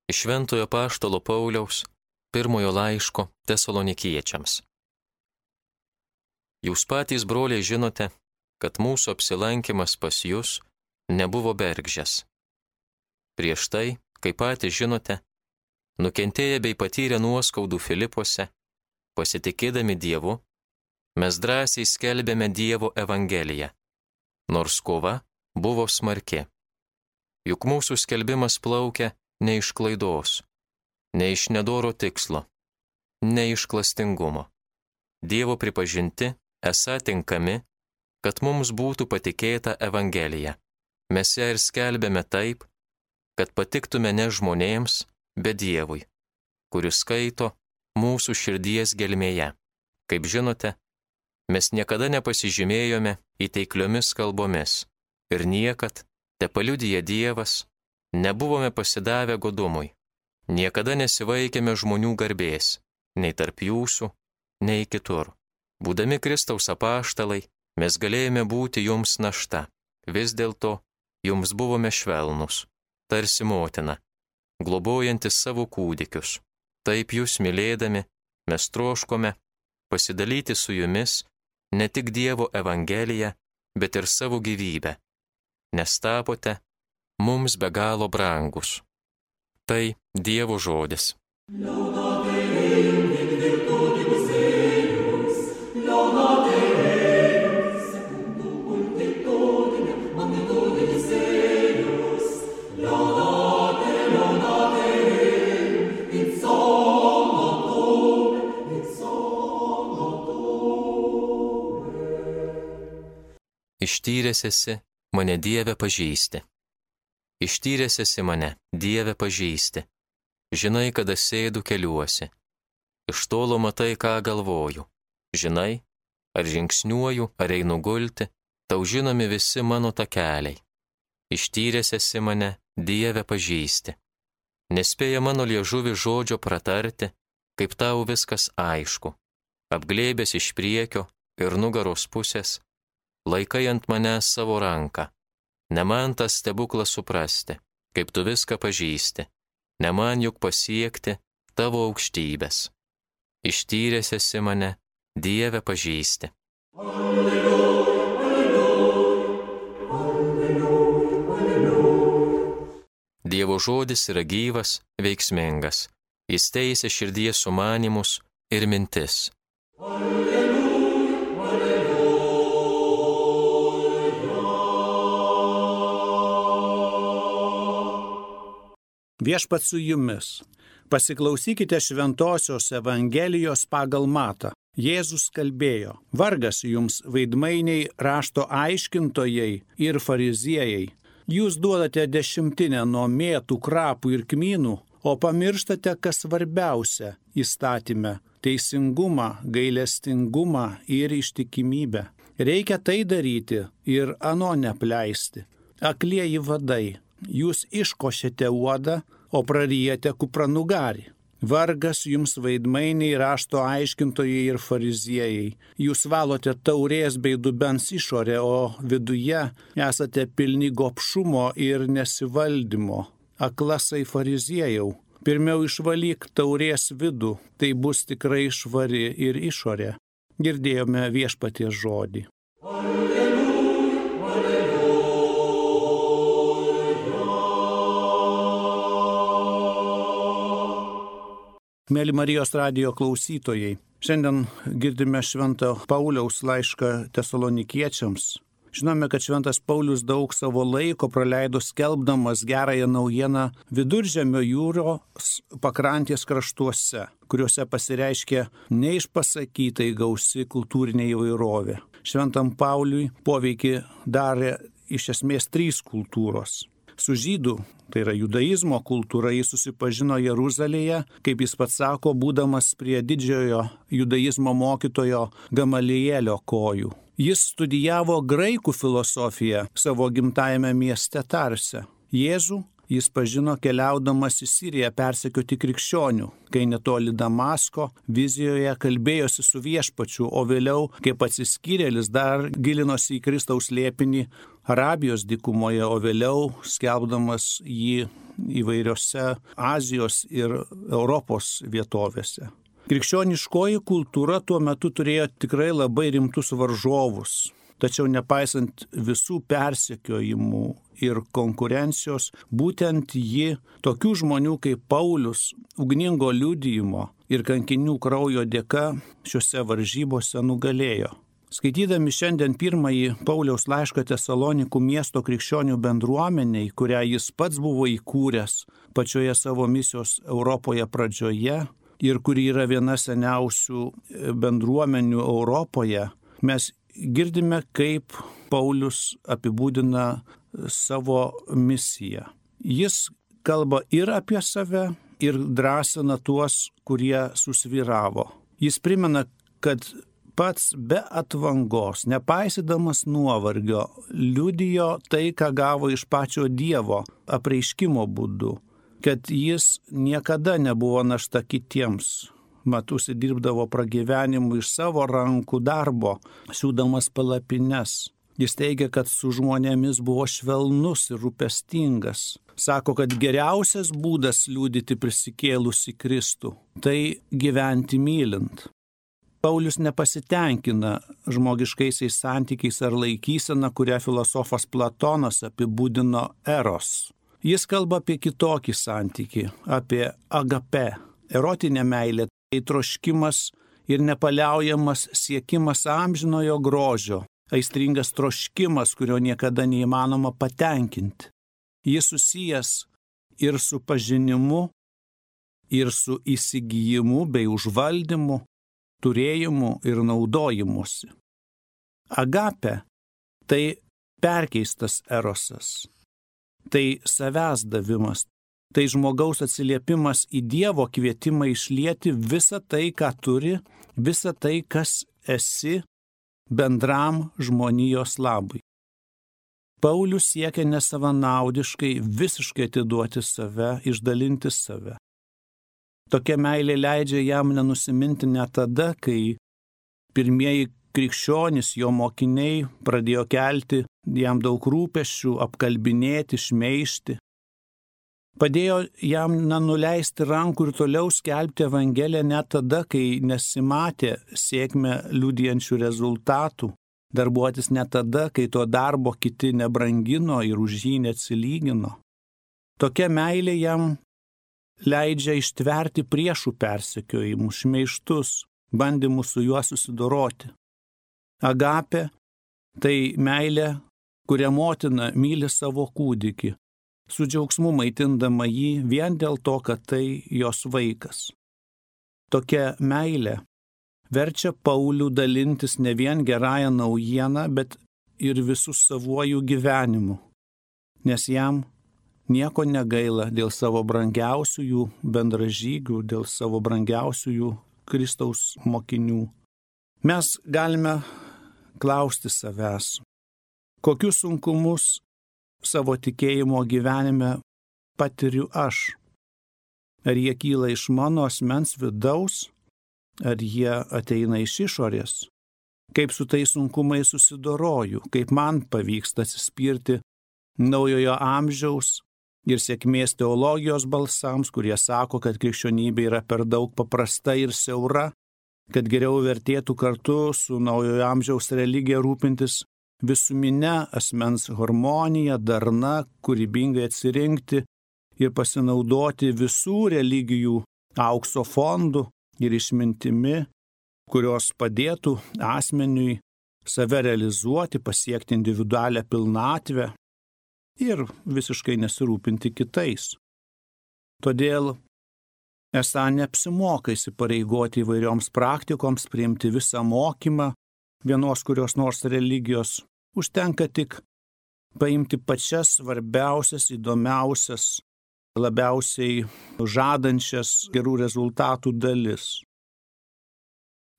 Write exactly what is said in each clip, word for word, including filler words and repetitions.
Iš Šventojo Apaštalo Pauliaus pirmojo laiško Tesalonikiečiams. Jūs patys, broliai, žinote, kad mūsų apsilankimas pas jus nebuvo bergždžias. Prieš tai, kaip patys žinote, nukentėję bei patyrę nuoskaudų Filipuose, pasitikėdami Dievu, mes drąsiai skelbėme Dievo evangeliją, nors kova buvo smarki. Juk mūsų skelbimas plaukia ne iš klaidos, ne iš nedoro tikslo, ne iš klastingumo. Dievo pripažinti esą tinkami, kad mums būtų patikėta evangelija. Mes ją ir skelbėme taip, kad patiktume ne žmonėms, bet Dievui, kuris skaito mūsų širdies gelmėje. Kaip žinote, mes niekada nepasižymėjome įteikliomis kalbomis ir niekad, tepaliudija Dievas, nebuvome pasidavę godumui. Niekada nesivaikėme žmonių garbės, nei tarp jūsų, nei kitur. Būdami Kristaus apaštalai, mes galėjome būti jums našta. Vis dėlto jums buvome švelnus, tarsi motina, globojantis savo kūdikius. Taip jūs mylėdami, mes troškome pasidalyti su jumis ne tik Dievo evangeliją, bet ir savo gyvybę, nes tapote mums be galo brangus. Tai Dievo žodis. Ištyręs esi mane, Dieve, pažįsti. Ištyręs esi mane, Dieve, pažįsti. Žinai, kada sėdu keliuosi. Iš tolo matai, ką galvoju. Žinai, ar žingsniuoju, ar einu gulti, tau žinomi visi mano takeliai. Ištyręs esi mane, Dieve, pažįsti. Nespėja mano liežuvi žodžio pratarti, kaip tau viskas aišku. Apglėbęs iš priekio ir nugaros pusės, laikai ant manęs savo ranką. Ne man tas stebuklas suprasti, kaip tu viską pažįsti. Ne man juk pasiekti tavo aukštybės. Ištyręs esi mane, Dieve, pažįsti. Alleluja, alleluja, alleluja, alleluja. Dievo žodis yra gyvas, veiksmingas. Jis teisia širdies sumanymus ir mintis. Alleluja, alleluja. Viešpats su jumis. Pasiklausykite šventosios evangelijos pagal Matą. Jėzus kalbėjo: vargas jums, veidmainiai, rašto aiškintojai ir fariziejai. Jūs duodate dešimtinę nuo mėtų, krapų ir kmynų, o pamirštate, kas svarbiausia įstatyme – teisingumą, gailestingumą ir ištikimybę. Reikia tai daryti ir ano nepleisti. Aklieji vadai, jūs iškošėte uodą, o prarijate kupranugarį. Vargas jums, veidmainiai, rašto aiškintojai ir fariziejai. Jūs valote taurės bei dubens išorę, o viduje esate pilni gobšumo ir nesivaldymo. Aklasai fariziejau, pirmiau išvalyk taurės vidų, tai bus tikrai švari ir išorė. Girdėjome Viešpaties žodį. Alleluja, alleluja. Mėly Marijos radijo klausytojai, šiandien girdime Švento Pauliaus laišką Tesalonikiečiams. Žinome, kad Šventas Paulius daug savo laiko praleido skelbdamas gerąją naujieną Viduržemio jūros pakrantės kraštuose, kuriuose pasireiškia neišpasakytai gausi kultūrinė įvairovė. Šventam Pauliui poveikį darė iš esmės trys kultūros. Su žydų, tai yra judaizmo kultūra, jis susipažino Jeruzalėje, kaip jis pats sako, būdamas prie didžiojo judaizmo mokytojo Gamalielio kojų. Jis studijavo graikų filosofiją savo gimtajame mieste Tarse. Jėzų jis pažino keliaudamas į Siriją persekioti krikščionių, kai netoli Damasko vizijoje kalbėjosi su Viešpačiu, o vėliau, kaip atsiskyrėlis, dar gilinosi į Kristaus slėpinį Arabijos dykumoje, o vėliau skelbdamas jį įvairiose Azijos ir Europos vietovėse. Krikščioniškoji kultūra tuo metu turėjo tikrai labai rimtus varžovus. Tačiau nepaisant visų persekiojimų ir konkurencijos, būtent ji tokių žmonių kaip Paulius, ugningo liudijimo ir kankinių kraujo dėka šiuose varžybose nugalėjo. Skaitydami šiandien pirmąjį Pauliaus laišką Tesalonikų miesto krikščionių bendruomeniai, kurią jis pats buvo įkūręs pačioje savo misijos Europoje pradžioje ir kuri yra viena seniausių bendruomenių Europoje, mes girdime, kaip Paulius apibūdina savo misiją. Jis kalba ir apie save, ir drąsina tuos, kurie susvyravo. Jis primena, kad pats be atvangos, nepaisydamas nuovargio, liudijo tai, ką gavo iš pačio Dievo apreiškimo būdu, kad jis niekada nebuvo našta kitiems. Mat užsidirbdavo pragyvenimų iš savo rankų darbo, siūdamas palapines. Jis teigia, kad su žmonėmis buvo švelnus ir rūpestingas. Sako, kad geriausias būdas liudyti prisikėlusi Kristų – tai gyventi mylint. Paulius nepasitenkina žmogiškaisiais santykiais ar laikysena, kurią filosofas Platonas apibūdino eros. Jis kalba apie kitokį santykį, apie agape, erotinę meilę. Tai troškimas ir nepaliaujamas siekimas amžinojo grožio, aistringas troškimas, kurio niekada neįmanoma patenkinti. Jis susijęs ir su pažinimu, ir su įsigijimu bei užvaldymu, turėjimu ir naudojimusi. Agape – tai perkeistas erosas, tai savęs davimas. Tai žmogaus atsiliepimas į Dievo kvietimą išlieti visą tai, ką turi, visą tai, kas esi, bendram žmonijos labui. Paulius siekia nesavanaudiškai visiškai atiduoti save, išdalinti save. Tokia meilė leidžia jam nenusiminti net tada, kai pirmieji krikščionys, jo mokiniai, pradėjo kelti jam daug rūpesčių, apkalbinėti, šmeižti. Padėjo jam nenuleisti rankų ir toliau skelbti Evangeliją net tada, kai nesimatė sėkmę liudijančių rezultatų, darbuotis net tada, kai to darbo kiti nebrangino ir už jį neatsilygino. Tokia meilė jam leidžia ištverti priešų persekiojimus, šmeižtus, bandymus su juo susidoroti. Agape – tai meilė, kuria motina myli savo kūdikį, su džiaugsmu maitindama jį vien dėl to, kad tai jos vaikas. Tokia meilė verčia Paulių dalintis ne vien gerąją naujieną, bet ir visų savuoju gyvenimu, nes jam nieko negaila dėl savo brangiausiųjų bendražygių, dėl savo brangiausiųjų Kristaus mokinių. Mes galime klausti savęs, kokius sunkumus savo tikėjimo gyvenime patiriu aš. Ar jie kyla iš mano asmens vidaus, ar jie ateina iš išorės? Kaip su tais sunkumais susidoroju, kaip man pavyksta atsispirti naujojo amžiaus ir sėkmės teologijos balsams, kurie sako, kad krikščionybė yra per daug paprasta ir siaura, kad geriau vertėtų kartu su naujojo amžiaus religija rūpintis visumine asmens harmonija, darna, kūrybingai atsirinkti ir pasinaudoti visų religijų aukso fondų ir išmintimi, kurios padėtų asmeniui save realizuoti, pasiekti individualią pilnatvę ir visiškai nesirūpinti kitais. Todėl esą neapsimoka įsipareigoti įvairioms praktikoms, priimti visą mokymą vienos kurios nors religijos, užtenka tik paimti pačias svarbiausias, įdomiausias, labiausiai žadančias gerų rezultatų dalis.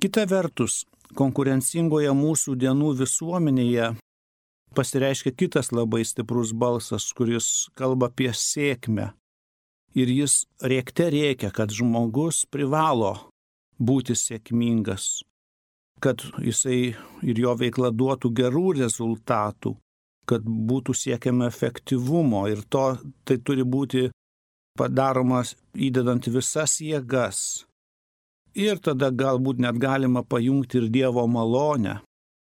Kita vertus, konkurencingoje mūsų dienų visuomenėje pasireiškia kitas labai stiprus balsas, kuris kalba apie sėkmę. Ir jis rėkte rėkia, kad žmogus privalo būti sėkmingas, kad jisai ir jo veikla duotų gerų rezultatų, kad būtų siekiama efektyvumo ir to tai turi būti padaromas įdedant visas jėgas. Ir tada galbūt net galima pajungti ir Dievo malonę,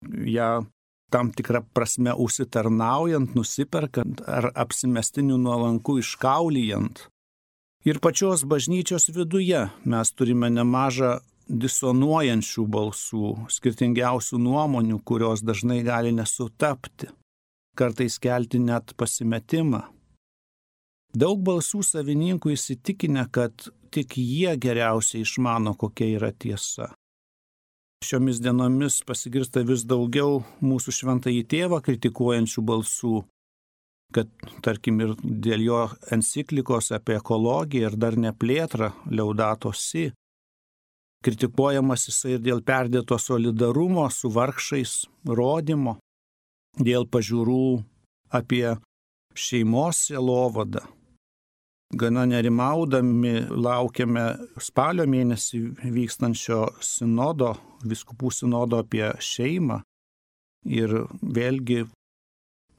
ją tam tikrą prasme užsitarnaujant, nusiperkant ar apsimestiniu nuolanku iškaulijant. Ir pačios bažnyčios viduje mes turime nemažą disonuojančių balsų, skirtingiausių nuomonių, kurios dažnai gali nesutapti, kartais kelti net pasimetimą. Daug balsų savininkų įsitikinę, kad tik jie geriausiai išmano, kokia yra tiesa. Šiomis dienomis pasigirsta vis daugiau mūsų šventąjį tėvą kritikuojančių balsų, kad, tarkim, ir dėl jo enciklikos apie ekologiją ir dar neplėtrą Laudato Si, kritikuojamas jisai ir dėl perdėto solidarumo su vargšais rodymo, dėl pažiūrų apie šeimos sielovadą. Gana nerimaudami laukiame spalio mėnesį vykstančio sinodo, vyskupų sinodo apie šeimą ir vėlgi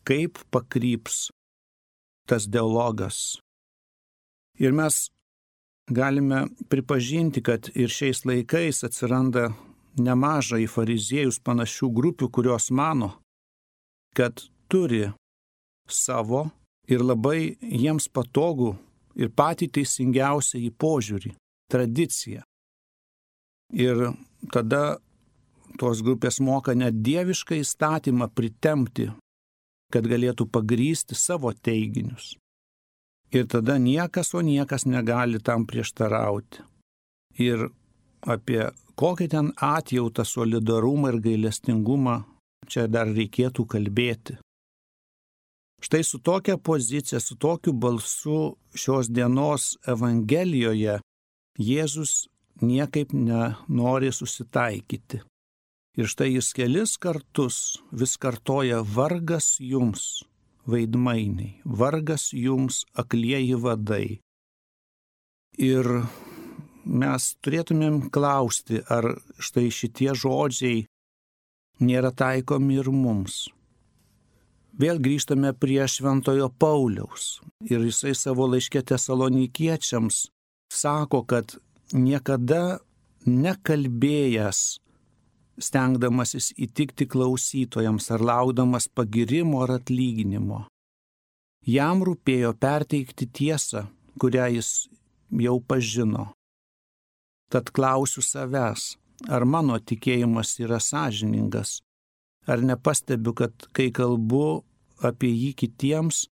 kaip pakryps tas dialogas. Ir mes galime pripažinti, kad ir šiais laikais atsiranda nemažai į fariziejus panašių grupių, kurios mano, kad turi savo ir labai jiems patogų ir patį teisingiausią į požiūrį, tradiciją. Ir tada tos grupės moka net dievišką įstatymą pritempti, kad galėtų pagrįsti savo teiginius. Ir tada niekas, o niekas negali tam prieštarauti. Ir apie kokį ten atjautą, solidarumą ir gailestingumą čia dar reikėtų kalbėti. Štai su tokia pozicija, su tokiu balsu šios dienos Evangelijoje Jėzus niekaip nenori susitaikyti. Ir štai jis kelis kartus vis kartoja: vargas jums, veidmainiai, vargas jums, aklieji vadai. Ir mes turėtumėm klausti, ar štai šitie žodžiai nėra taikomi ir mums. Vėl grįžtame prie šventojo Pauliaus ir jisai savo laiške Tesalonikiečiams sako, kad niekada nekalbėjęs, stengdamasis įtikti klausytojams ar laukdamas pagirimo ar atlyginimo. Jam rūpėjo perteikti tiesą, kurią jis jau pažino. Tad klausiu savęs, ar mano tikėjimas yra sąžiningas, ar nepastebiu, kad kai kalbu apie jį kitiems,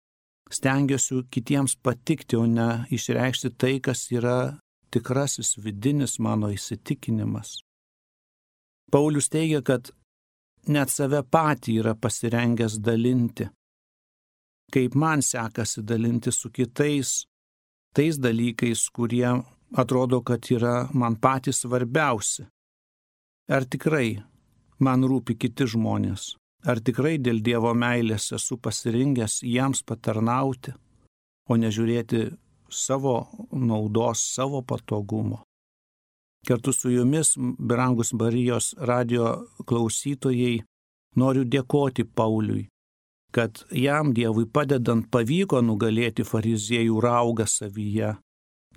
stengiuosi kitiems patikti, o ne išreikšti tai, kas yra tikrasis vidinis mano įsitikinimas. Paulius teigia, kad net save patį yra pasirengęs dalinti. Kaip man sekasi dalinti su kitais, tais dalykais, kurie atrodo, kad yra man patys svarbiausi. Ar tikrai man rūpi kiti žmonės? Ar tikrai dėl Dievo meilės esu pasirengęs jiems patarnauti, o nežiūrėti savo naudos, savo patogumo? Kartu su jumis, brangus Marijos radijo klausytojai, noriu dėkoti Pauliui, kad jam Dievui padedant pavyko nugalėti fariziejų raugą savyje,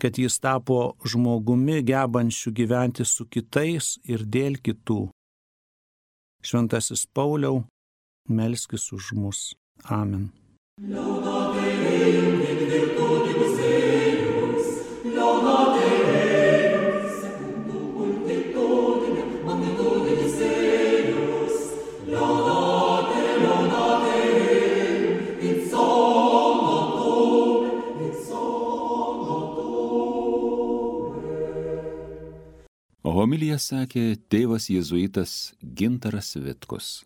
kad jis tapo žmogumi gebančiu gyventi su kitais ir dėl kitų. Šventasis Pauliau, melskis už mus. Amen. Laudate Deum in virtutibus eius, laudate Deum secundum multitudinem magnitudibus eius, laudate, laudate Deum in somno tuum, in somno tuum. Homiliją sakė tėvas jėzuitas Gintaras Vitkus.